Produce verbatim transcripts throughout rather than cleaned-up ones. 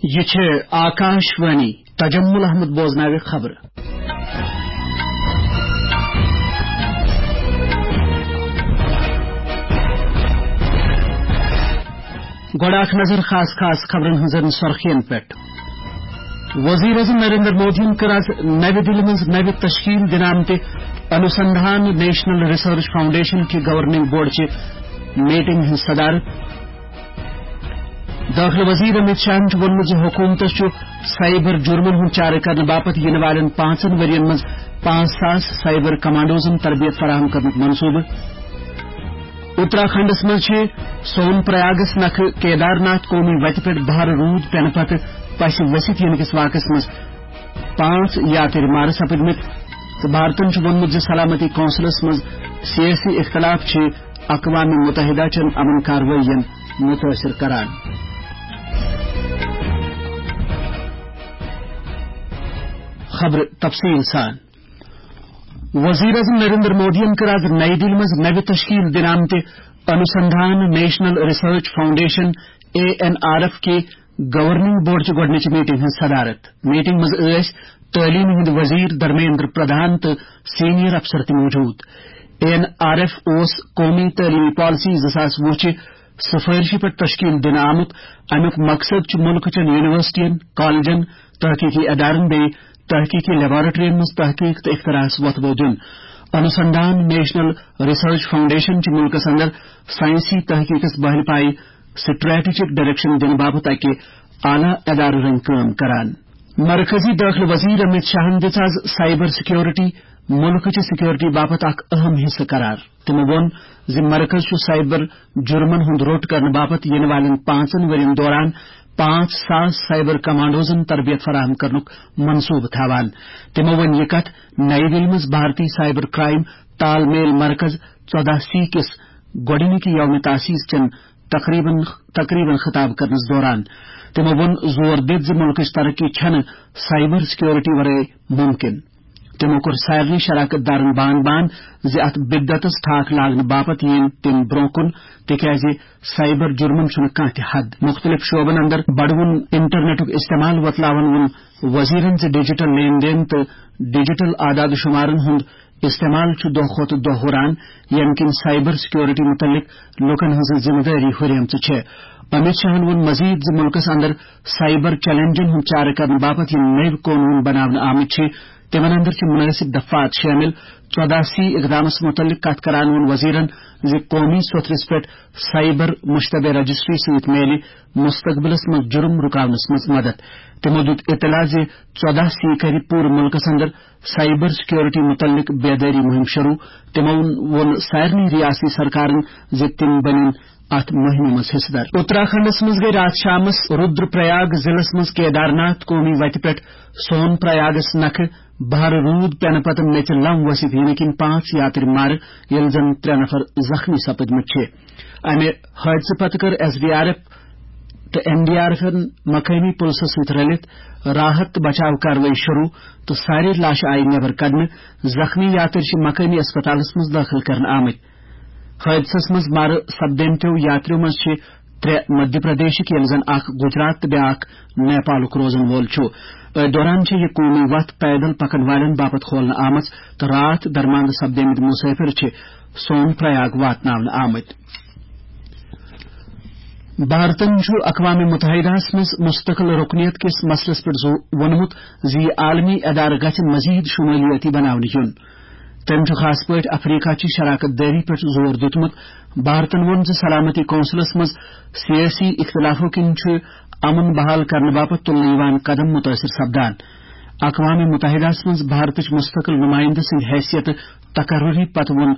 یہِ چھِ آکاش وانی۔ تجمل احمد بوزناوِ خبرٕ۔ گۄڈٕ اکھ نظر خاص خاص خبرن ہٕنٛزن سرخین پٮ۪ٹھ۔ وزیر اعظم نریندر مودیَن کٔر آز نَوِ دِلہِ منٛز نَوِ تشکیل دِنہٕ آمتہِ انوسندھان نیشنل ریسرچ فاؤنڈیشن کہِ گورننگ بورڈ چہِ میٹنگ ہٕنٛز صدارت۔ دٲخلہٕ وزیر امیت شاہن چھُ ووٚنمُت زِ حکوٗمتس چھُ سائبر جرمن ہُنٛد چارٕ کرنہٕ باپتھ یِنہٕ والٮ۪ن پانٛژن ؤرین منٛز پانٛژھ ساس سائبر کمانڈوزن تربیت فراہم کرنُک منصوبہٕ۔ اتراکھنڈس منٛز چھِ سون پریاگس نکھٕ کیدار ناتھ قومی وتہِ پٮ۪ٹھ بھارٕ روٗد پٮ۪نہٕ پتہٕ پسہِ ؤسِتھ یِنہٕ کِس واقعس منٛز پانٛژھ یاترۍ مارٕ سپٕدمٕتۍ تہٕ بھارتن چھُ ووٚنمُت زِ سلامتی کونسلس منٛز سیٲسی اختلاف چھِ اقوام متحدہ چٮ۪ن امن کاروٲیین متٲثر کران۔ خبرٕ تفصیٖل سان۔ وزیر اعظم نریندر مودیَن کٔر آز نئی دِلہِ منٛز نَوِ تشکیل دِنہٕ آمتہِ Anusandhan national research foundation, A N R F, کہِ گورننگ بورڈ چہِ گۄڈٕنِچہِ میٹنگ ہٕنٛز صدارت۔ میٹنگ منٛز ٲسۍ تعلیٖم ہٕنٛدۍ وزیر دھرمیندر پردھان تہٕ سینئر افسر تہِ موجود۔ اے این آر ایف اوس قومی تعلیمی پالیسی زٕ ساس وُہ چہِ سفارشہِ پٮ۪ٹھ تشکیل دِنہٕ آمُت۔ امیُک مقصد چھُ مُلکہٕ چٮ۪ن یونیورسٹین، کالجن، تحقیقی ادارن بیٚیہِ تحقیقی لیبارٹرین منٛز تحقیق تہٕ اختراعس وۄتھٕ بو دیُن۔ انوسندھان نیشنل ریسرچ فاؤنڈیشن چھُ مُلکس اندر سائنسی تحقیقس بہلہِ پایہِ سٹریٹجک ڈائریکشن دِنہٕ باپتھ اکہِ اعلیٰ ادارٕ رنگۍ کٲم کران۔ مرکزی دٲخلہٕ وزیر امیت شاہن دِژ آز سائبر سیکیورٹی مُلکہٕ چہِ سیکیورٹی باپتھ اکھ اہم حصہٕ قرار۔ تِمو ووٚن زِ مرکز چھُ سائبر جرمن ہُنٛد روٚٹ کرنہٕ باپتھ یِنہٕ والٮ۪ن پانٛژن ؤرین دوران پانٛژھ ساس سائبر کمانڈوزن تربیت فراہم کرنُک منصوبہٕ تھاوان۔ تِمو ووٚن یہِ کتھ نئی دِلہِ منٛز بھارتی سائبر کرائم تال میل مرکز ژۄدہ سی کِس گۄڈٕنِکہِ یوم تاسیس چٮ۪ن تقریبن، تقریبن خطاب کرنس دوران۔ تِمو ووٚن زور دِتھ زِ مُلکٕچ ترقی چھنہٕ سائبر سیکیورٹی ورٲے ممکن۔ تِمو کوٚر سارنٕے شراکت دارن بان بان زِ اتھ بدعتس ٹھاکھ لاگنہٕ باپتھ یِن تِم برونٛہہ کُن، تِکیازِ سائبر جرمن چھُنہٕ کانٛہہ تہِ حد۔ مُختٔلِف شعبن اندر بڑوُن انٹرنیٹُک استعمال وۄتلاون ووٚن وزیرن زِ ڈیجیٹل لین دین تہٕ ڈیجیٹل اعداد و شمارن ہُنٛد استعمال چھُ دۄہ کھۄتہٕ دۄہ ہُران، ییٚمہِ کِنۍ سائبر سیکیورٹی مُتعلق لوٗکن ہٕنٛز ذمہٕ دٲری ہُریمژٕ چھےٚ۔ امیت شاہن ووٚن مزید زِ مُلکس اندر سائبر چیلنجن ہُنٛد چارٕ کرنہٕ باپتھ یِم نٔوۍ قونوٗن بناونہٕ آمٕتۍ چھِ، تِمن اندر چھِ مُنٲسِب دفعات شٲمِل۔ ژۄدہ سی اقدامس مُتعلق کتھ کران ووٚن وزیرن زِ قومی سوٚتھرِس پٮ۪ٹھ سائبر مشتبہ رجسٹری سۭتۍ میلہِ مستقبلس منٛز جرم رُکاونس منٛز مدد۔ تِمو دیُت اطلاع زِ ژۄدہ سی کرِ پوٗرٕ مُلکس اندر سائبر سیکیورٹی مُتعلق بیدٲری مُہِم شروٗع۔ تِمو ووٚن سارنٕے ریاستی سرکارن زِ تِم بنن اتھ مُہِمہِ منٛز حصہٕ دار۔ اتراکھنڈس منٛز گٔے راتھ شامس رودر پریاگ ضلعس منٛز کیدارناتھ قومی وتہِ پٮ۪ٹھ سون پریاگس نکھٕ بھارٕ روٗد پٮ۪نہٕ پتہٕ میٚژِ لم ؤسِتھ یِنہٕ کِنۍ پانٛژھ یاترۍ مارٕ، ییٚلہِ زن ترٛےٚ نفر زخمی سپٕدمٕتۍ چھِ۔ امہِ حٲدثہٕ پتہٕ کٔر ایس ڈی آر ایف تہٕ این ڈی آر ایفن مقٲمی پُلسس سۭتۍ رلِتھ راحت تہٕ بچاو کاروٲیی شروٗع تہٕ سارے لاشہٕ آیہِ نٮ۪بر کڑنہٕ۔ زخمی یاترۍ چھِ مقٲمی اسپتالس منٛز دٲخل کرنہٕ آمٕتۍ۔ حٲدثس منٛز مارٕ سپدیمتیو یاتریو منٛز چھِ ترٛےٚ مدھیہ پردیشٕکۍ، ییٚلہِ زن اکھ گجرات تہٕ بیٛاکھ نیپالُک روزن وول چھُ۔ أتھۍ دوران چھےٚ یہِ قومی وتھ پیدل پکن والٮ۪ن باپتھ کھولنہٕ آمٕژ تہٕ راتھ درماندٕ سپدیمٕتۍ مسافر چھِ سون پریاگ واتناونہٕ آمٕتۍ۔ بھارتن چھُ اقوام متحدہس منٛز مستقل رکنیت کِس مسلس پٮ۪ٹھ زو-، ووٚنمُت زِ یہِ عالمی ادارٕ گژھِ مزید شمولیٲتی بناونہٕ یُن۔ تٔمۍ چھُ خاص پٲٹھۍ افریقہ چہِ شراکت دٲری پٮ۪ٹھ زور دیُتمُت۔ بھارتن ووٚن زِ سلامتی کونسلس منٛز سیٲسی اختلافو کِنۍ چھُ امن بحال کرنہٕ باپتھ تُلنہٕ یِوان قدم متٲثر سپدان۔ اقوام متحدہس منٛز بھارتٕچ مستقل نمائندٕ سٕنٛدِ حیثیتہٕ تقرری پتہٕ ووٚن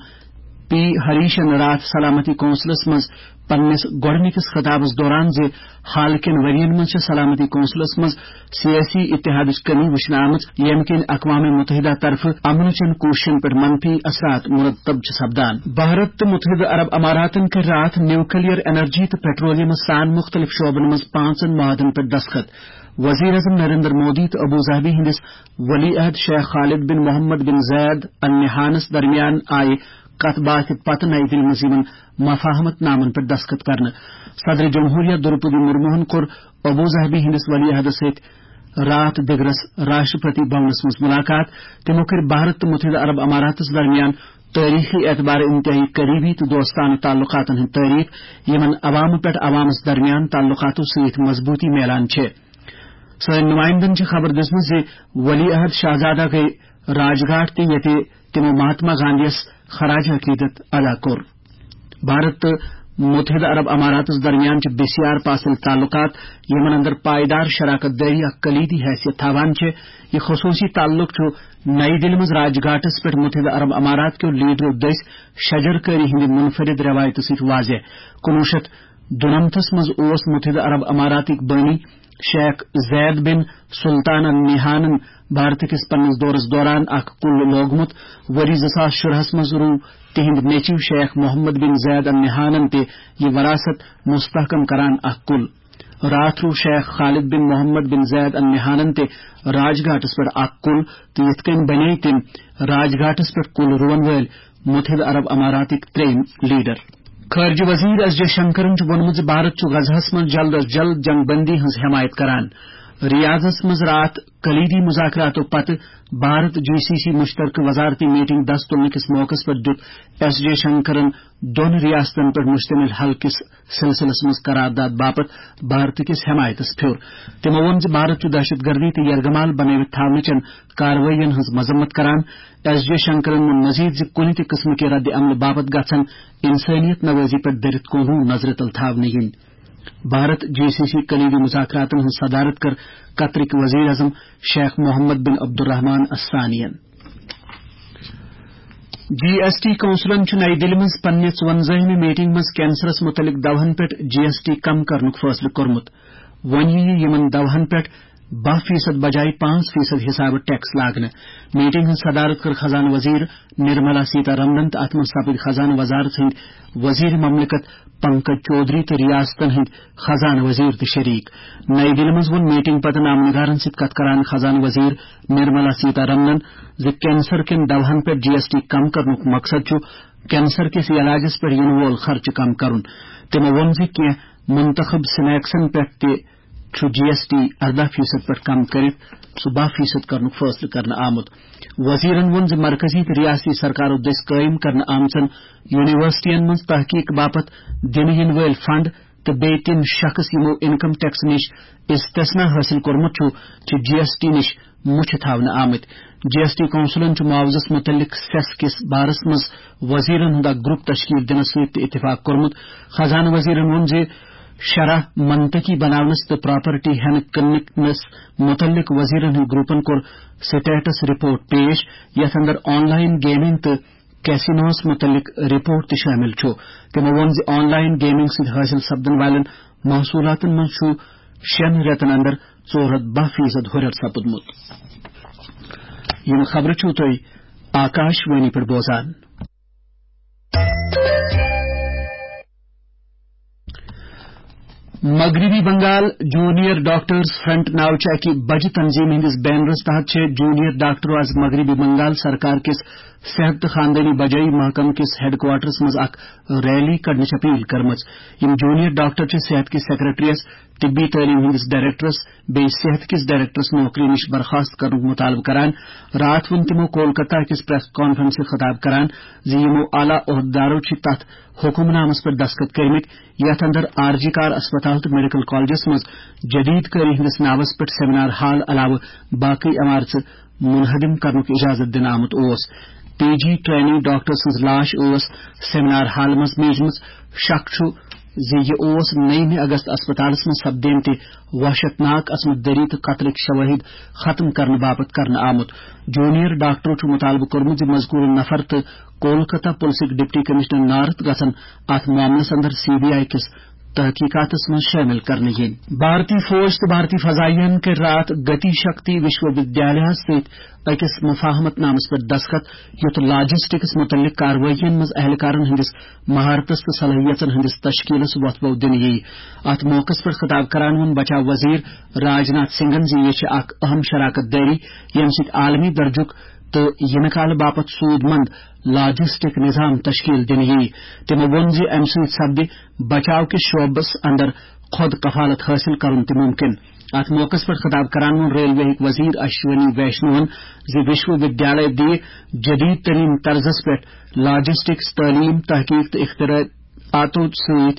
پی ہریشن راتھ سلامتی کونسلس منٛز پننِس گۄڈٕنِکِس خطابس دوران زِ حال کٮ۪ن ؤرین منٛز چھےٚ سلامتی کونسلس منٛز سیٲسی اتحادٕچ کمی وٕچھنہٕ آمٕژ، ییٚمہِ کِنۍ اقوام متحدہ طرفہٕ امنہٕ چٮ۪ن کوٗششن پٮ۪ٹھ منفی اثرات مرتب چھِ سپدان۔ بھارت تہٕ متحدہ عرب اماراتن کٔرۍ راتھ نیوکلیر انرجی تہٕ پیٹرولیمس سان مُختٔلِف شعبن منٛز پانٛژن معاہدن پٮ۪ٹھ دستخط۔ وزیر اعظم نریندر مودی تہٕ ابو ظہبی ہٕنٛدِس ولی عہد شیخ خالد بن محمد بن زید النہانس درمیان آیہِ کتھ باتھ پتہٕ نئی دِلہِ منٛز یِمن مفاہمت نامن پٮ۪ٹھ دستخط کرنہٕ۔ صدر جمہوریہ درپدی مرموہن کوٚر ابو ظہبی ہٕنٛدِس ولی عہدس سۭتۍ راتھ دِگرس راشٹرپتی بھونس منٛز ملاقات۔ تِمو کٔرۍ بھارت تہٕ متحدہ عرب اماراتس درمیان تٲریخی اعتبار انتہٲئی قریبی تہٕ دوستانہٕ تعلقاتن ہٕنٛدۍ تعریف، یِمن عوامہٕ پٮ۪ٹھ عوامس درمیان تعلقاتو سۭتۍ مضبوٗطی میلان چھِ۔ سٲنۍ نمائندن چھِ خبر دِژمٕژ زِ ولی عہد شاہزادہ گٔیہِ راج گھاٹ تہِ، ییٚتہِ تِمو مہاتما گاندھیَس خراج عقیدت ادا کوٚر۔ بھارت تہٕ متحدہ عرب اماراتس درمیان چھِ بسیار پاسل تعلقات، یِمن اندر پائیدار شراکت دٲری اکھ کلیدی حیثیت تھاوان چھِ۔ یہِ خصوصی تعلق چھُ نئی دِلہِ منٛز راج گھاٹس پٮ۪ٹھ متحدہ عرب امارات کیو لیڈرو دٔسۍ شجر کٲری ہٕنٛدِ منفرد رٮ۪وایتہٕ سۭتۍ واضح۔ کُنوُہ شیٚتھ دُنمتس منٛز اوس متحدہ عرب اماراتٕکۍ بٲنی شیخ زید بن سلطان النہانن بھارت کِس پننِس دورس دوران اکھ کُل لوگمُت۔ ؤری زٕ ساس شُرہس منٛز روٗو تِہنٛدۍ نیٚچِو شیخ محمد بن زید النہانن تہِ یہِ وراثت مستحکم کران اکھ کُل۔ راتھ روٗو شیخ خالد بن محمد بن زید النہانن تہِ راج گھاٹس پٮ۪ٹھ اکھ کُل، تہٕ یِتھ کٔنۍ بنے تِم راج گھاٹس پٮ۪ٹھ کُل رُوَن وٲلۍ متحدہ عرب اماراتٕکۍ ترٛیٚیِم لیڈر۔ خارجہ وزیر ایس جے شنکرن چھُ ووٚنمُت زِ بھارت چھُ غزہس منٛز جلد از جلد جنگ بندی ہٕنٛز حمایت کران۔ ریاضس منٛز راتھ کلیدی مذاکراتو پتہٕ بھارت جی سی سی مشترکہ وزارتی میٹنگ دس تُلنہٕ کِس موقعس پٮ۪ٹھ دیُت ایس جے شنکرن دۄن ریاستن پٮ۪ٹھ مشتمل حل کِس سلسلس منٛز قرارداد باپتھ بھارت کِس حمایتس پھیوٚر۔ تِمو ووٚن زِ بھارت چھُ دہشت گردی تہٕ یرغمال بنٲوِتھ تھاونہٕ چٮ۪ن کاروٲیین ہٕنٛز مذمت کران۔ ایس جے شنکرن ووٚن مزید زِ کُنہِ تہِ قٕسمہٕ کہِ رد عملہٕ باپتھ گژھن انسٲنیت نوٲزی پٮ۪ٹھ دٔرِتھ کونہو نظرِ تل تھاونہٕ یِنۍ۔ بھارت جی سی سی کلیدی مذاکراتن ہٕنٛز صدارت کٔر قطرٕکۍ وزیر اعظم شیخ محمد بن عبدالرحمان الثانین۔ جی ایس ٹی کونسلن چھُ نئی دِلہِ منٛز پننہِ ژُوَنزٲہمہِ میٹنگ منٛز کینسرس مُتعلق دوہن پٮ۪ٹھ جی ایس ٹی کم کرنُک فٲصلہٕ کوٚرمُت۔ وۄنۍ یِیہِ یِمن دوہن پٮ۪ٹھ باہ فیصد بجایہِ پانٛژھ فیصد حسابہٕ ٹیکس لاگنہٕ۔ میٹنگ ہٕنٛز صدارت کٔر خزانہٕ وزیر نرملا سیتا رمنن تہٕ اتھ منٛز سپٕدۍ خزانہٕ وزارت ہٕنٛدۍ وزیر مملکت پنکج چودھری تہٕ ریاستن ہٕنٛدۍ خزانہٕ وزیر تہِ شریک۔ نئی دِلہِ منٛز ووٚن میٹنگ پتہٕ نامہ نگارن سۭتۍ کتھ کران خزانہٕ وزیر نرملا سیتا رمنن زِ کینسر کٮ۪ن دوہن پٮ۪ٹھ جی ایس ٹی کم کرنُک مقصد چھُ کینسر کِس علاجس پٮ۪ٹھ یِنہٕ وول خرچہٕ کم کرُن۔ تِمو ووٚن زِ کینٛہہ منتخب سنیکسن پٮ۪ٹھ تہِ چھُ جی ایس ٹی ارداہ فیصد پٮ۪ٹھ کم کٔرِتھ سُہ باہ فیصد کرنُک فٲصلہٕ کرنہٕ آمُت۔ وزیرن ووٚن زِ مرکزی تہٕ ریاستی سرکارو دٔسۍ قٲیِم کرنہٕ آمژن یونیورسٹین منٛز تحقیق باپتھ دِنہٕ یِنہٕ وٲلۍ فنڈ تہٕ بیٚیہِ تِم شخص یِمو انکم ٹیکس نِش استثنا حٲصِل کوٚرمُت چھُ، چھِ جی ایس ٹی نِش مُچھِ تھاونہٕ آمٕتۍ۔ جی ایس ٹی کونسلن چھُ معاوضس مُتعلق سیس کِس بارس منٛز وزیرن ہُنٛد اکھ گروپ تشکیل دِنس سۭتۍ تہِ اتفاق کوٚرمُت۔ خزانہٕ وزیرن ووٚن زِ شرح منطقی بناونس تہٕ پراپرٹی ہٮ۪نہٕ کٕننس مُتعلق وزیرن ہٕنٛدۍ گروپن کوٚر سٹیٹس رپورٹ پیش، یتھ اندر آن لائن گیمنگ تہٕ کیسینوس مُتعلق رپورٹ تہِ شٲمِل چھُ۔ تِمو ووٚن زِ آن لائن گیمنگ سۭتۍ حٲصِل سپدن والٮ۪ن محصوٗلاتن منٛز چھُ شٮ۪ن رٮ۪تن اندر ژور ہتھ باہ فیصد ہُرٮ۪ر سپُدمُت۔ یِم خبرٕ چھِو تُہۍ آکاش وانی پٮ۪ٹھ بوزان۔ مغربی بنگال جونیئر ڈاکٹرز فرنٹ ناوچہِ اکہِ بجہِ تنظیمہِ ہٕنٛدِس بینرس تحت چھِ جونیئر ڈاکٹرو از مغربی بنگال سرکار کِس صحت تہٕ خاندٲنی بجٲیی محکمہٕ کِس ہیڈ کوارٹرس منٛز اکھ ریلی کڑنٕچ اپیل کٔرمٕژ۔ یِم جونیئر ڈاکٹر چھِ صحت کِس سیکرٹریس، طبی تعلیٖم ہٕنٛدِس ڈائریکٹرس، بیٚیہِ صحت کِس ڈائریکٹرس نوکری نِش برخاست کرنُک مطالبہٕ کران۔ راتھ ووٚن تِمو کولکتہ کِس پریس کانفرنسہِ خطاب کران زِ یِمو اعلیٰ عہدٕدارو چھِ تتھ حکم نامس پٮ۪ٹھ دستخط کٔرمٕتۍ، یتھ اندر آر جی کار اسپتال تہٕ میڈیکل کالجس منٛز جدید کٲری ہٕنٛدِس ناوس پٮ۪ٹھ سیمینار ہال علاوٕ باقٕے عمارژٕ منہدم کرنُک اجازت دِنہٕ آمُت اوس۔ پی جی ٹرینی ڈاکٹر سٕنٛز لاش ٲس سیمینار ہال منٛز میجمٕژ۔ شک چھُ زِ یہِ اوس نٔیمہِ اگست اسپتالس منٛز سپدیمتہِ وحشتناک عصمت دری تہٕ قتلٕکۍ شوٲہِد ختم کرنہٕ باپتھ کرنہٕ آمُت۔ جونیئر ڈاکٹرو چھُ مطالبہٕ کوٚرمُت زِ مذکورٕ نفر تہٕ کولکتہ پُلسٕکۍ ڈپٹی کمشنر نارتھ گژھن اتھ معاملس اندر سی بی آئی کِس تحقیقاتس منٛز شٲمِل کرنہٕ یِنۍ۔ بھارتی فوج تہٕ بھارتی فضائیہن کٔرۍ راتھ گتی شکتی وشو ودیالیاہس سۭتۍ أکِس مفاہمت نامس پٮ۪ٹھ دستخط، یُتھ لاجسٹکس متعلق کاروٲیین منٛز اہلکارن ہٕنٛدِس مہارتس تہٕ صلٲحیژن ہٕنٛدِس تشکیلس وۄتھ بو دِنہٕ یِیہِ۔ اتھ موقعس پٮ۪ٹھ خطاب کران ووٚن بچاو وزیر راج ناتھ سنگھن زِ یہِ چھِ اکھ اہم شراکت دٲری، ییٚمہِ سۭتۍ عالمی درجُک تہٕ یِنہٕ کالہٕ باپتھ سوٗد مند لاجسٹک نظام تشکیل دِنہٕ یِیہِ۔ تِمو ووٚن زِ اَمہِ سۭتۍ سپدِ بچاو کِس شعبس اندر خود کفالت حٲصِل کرُن تہِ مُمکِن۔ اَتھ موقعس پٮ۪ٹھ خطاب کران ووٚن ریلوے ہٕکۍ وزیر اشونی ویشنون زِ وشو ودیالے دِیہِ جدید ترین طرزس پٮ۪ٹھ لاجسٹکس، تعلیم، تحقیق تہٕ اختراعاتو سۭتۍ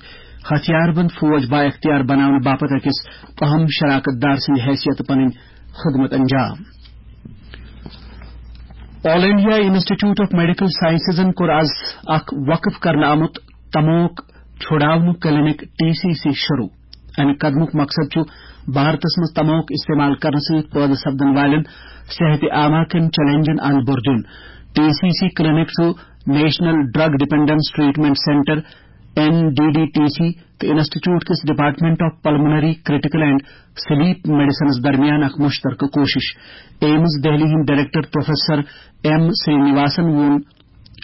ہتھیار بند فوج بااختیار بناونہٕ باپتھ أکِس اہم شراکت دار سٕنٛدِ حیثیتہٕ پنٕنۍ خدمت انجام۔ آل انڈیا انسٹیٹیوٹ آف میڈیکل سائنسزن کوٚر از اکھ وقف کرنہٕ آمُت تموک چھُڑاونُک کلینک، ٹی سی سی، شروع۔ امہِ قدمُک مقصد چھُ بھارتس منٛز تموک استعمال کرنہٕ سۭتۍ پٲدٕ سپدن والٮ۪ن صحت عامہ کٮ۪ن چیلنجن اند بُر دیُن۔ ٹی سی سی کلینک چھُ National Drug Dependence Treatment Centre, N D D T C, تہٕ انسٹیٹیوٹ کِس Department of Pulmonary Critical and Sleep میڈیسنس درمیان اکھ مشترکہ کوشش۔ ایمز دہلی ہٕنٛدۍ director professor M Srinivasan ووٚن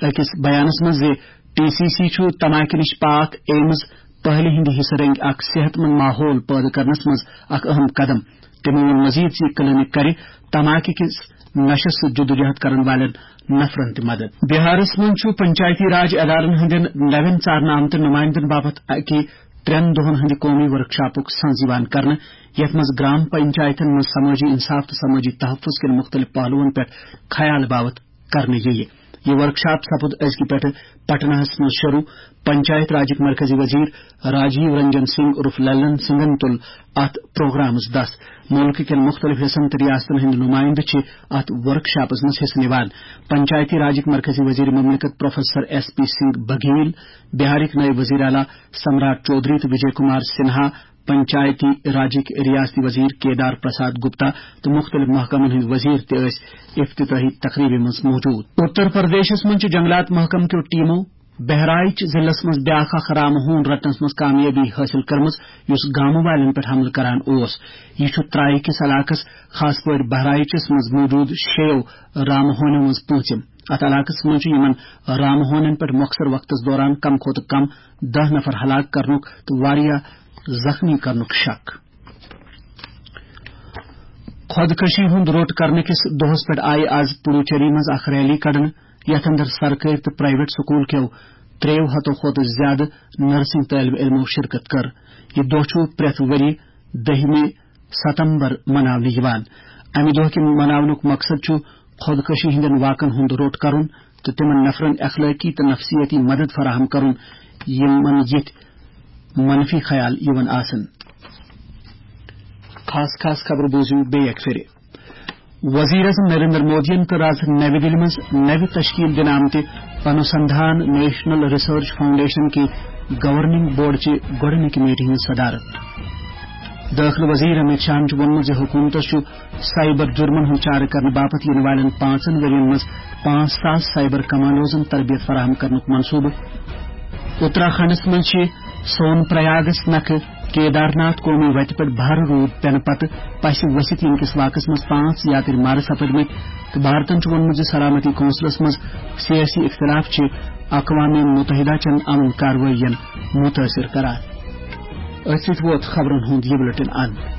أکِس بیانَس منٛز زِ ٹی سی سی چھُ تماکہِ نِش پاک ایمز پہلہِ ہٕنٛدِ حصہٕ رنگہِ اکھ صحت مند ماحول پٲدٕ کرنس منٛز اکھ اہم قدم۔ تٔمۍ ووٚن مزید زِ یہِ کلینک کرِ تماکہِ کِس نشس سۭتۍ جدوجہد کرن والٮ۪ن نفرن تہِ مدد۔ بہارس منٛز چھُ پنچایتی راج ادارن ہٕنٛدٮ۪ن نوٮ۪ن ژارنہٕ آمتٮ۪ن نمائندن باپتھ اکہِ ترٛٮ۪ن دۄہن ہٕنٛدِ قومی ورکشاپُک سنز یِوان کرنہٕ، یتھ منٛز گرام پنچایتن منٛز سمٲجی انصاف تہٕ سمٲجی تحفظ کٮ۪ن مُختٔلِف پہلوَن پٮ۪ٹھ خیال باوت کرنہٕ یِیہِ۔ یہِ ورکشاپ سپُد أزکہِ پٮ۪ٹھٕ پٹناہَس منٛز شروع۔ پنچایت راجٕکۍ مرکزی وزیر راجیو رنجن سنگھ عرف للن سنگھن تُل اتھ پروگرامس دس۔ مُلکہٕ کٮ۪ن مُختٔلِف حصن تہٕ ریاستن ہٕنٛدۍ نُمٲیندٕ چھِ اتھ ورکشاپس منٛز حصہٕ نِوان۔ پنچایتی راجٕکۍ مرکزی وزیر مملکت پروفیسر ایس پی سنگھ بگھیل، بہارٕکۍ نٲیِب وزیر اعلیٰ سمراٹ چودھری تہٕ وجے کمار سنہا، پنچایتی راجٕکۍ ریاستی وزیر کیدار پرساد گپتا تہٕ مُختٔلِف محکمن ہٕنٛدۍ وزیر تہِ ٲسۍ افتتاحی تقریبہِ منٛز موجود۔ اتر پردیشس منٛز چھِ جنگلات محکمہٕ کیو ٹیمو بہرائچ ضلعس منٛز بیاکھ اکھ رامہٕ ہوٗن رٹنس منٛز کامیٲبی حٲصِل کٔرمٕژ، یُس گامہٕ والٮ۪ن پٮ۪ٹھ حملہٕ کران اوس۔ یہِ چھُ ترائے کِس علاقس، خاص پٲٹھۍ بہرائچس منٛز موجود شیٚیو رامہٕ ہونیو منٛز پوٗنٛژِم۔ اتھ علاقس منٛز چھُ یِمن رامہٕ ہونٮ۪ن پٮ۪ٹھ مۄخصر وقتس دوران کم کھۄتہٕ کم دَہ نفر ہلاک کرنُک تہٕ واریاہ زخمی کرنُک شک۔ خودکشی ہُنٛد روٚٹ کرنہٕ کِس دۄہس پٮ۪ٹھ آیہِ آز پڈوچیری منٛز اکھ ریلی کڑنہٕ، یتھ اندر سرکٲرۍ تہٕ پرائیویٹ سکول کیو ترٛیٚیو ہتو کھۄتہٕ زیادٕ نرسنگ طٲلب علمو شرکت کٔر۔ یہِ دۄہ چھُ پرٛٮ۪تھ ؤرۍ دٔہمہِ ستمبر مناونہٕ یِوان۔ امہِ دۄہ کہِ مناونُک مقصد چھُ خودکشی ہٕنٛدٮ۪ن واقعن ہُنٛد روٚٹ کرُن تہٕ تِمن نفرن اخلٲقی تہٕ نفسیٲتی مدد فراہم کرُن، یِمن یِتھۍ منفی خیال یِوان آسن۔ خاص خاص خبرٕ بوٗزِو بیٚیہِ اکہِ پھِرِ۔ وزیر اعظم نریندر مودیَن کٔر آز نَوِ دِلہِ منٛز نَوِ تشکیل دِنہٕ آمتہِ انوسندھان نیشنل ریسرچ فاؤنڈیشن کہِ گورننگ بورڈ چہِ گۄڈٕنِکہِ میٹنگ ہٕنٛز صدارت۔ دٲخلہٕ وزیر امت شاہن چھُ ووٚنمُت زِ حکوٗمتس چھُ سائبر جرمن ہُنٛد چارٕ کرنہٕ باپتھ یِنہٕ والٮ۪ن پانٛژن ؤرین منٛز پانٛژھ ساس سائبر کمانڈوزن تربیت فراہم کرنُک منصوبہٕ۔ اتراکھنڈس منٛز چھِ سون پریاگس نکھٕ کیدارناتھ قومی وتہِ پٮ۪ٹھ بھارٕ روٗد پٮ۪نہٕ پتہٕ پسہِ ؤسِتھ ییٚمہِ کِس واقعس منٛز پانٛژھ یاترۍ مارٕ سپٕدمٕتۍ تہٕ بھارتن چھُ ووٚنمُت زِ سلامتی کونسلس منٛز سیٲسی اختلاف چھِ اقوام متحدہ چٮ۪ن امن کاروٲیین متٲثر کران۔ أتھۍ سۭتۍ ووت خبرن ہُنٛد یہِ بلیٹن اند۔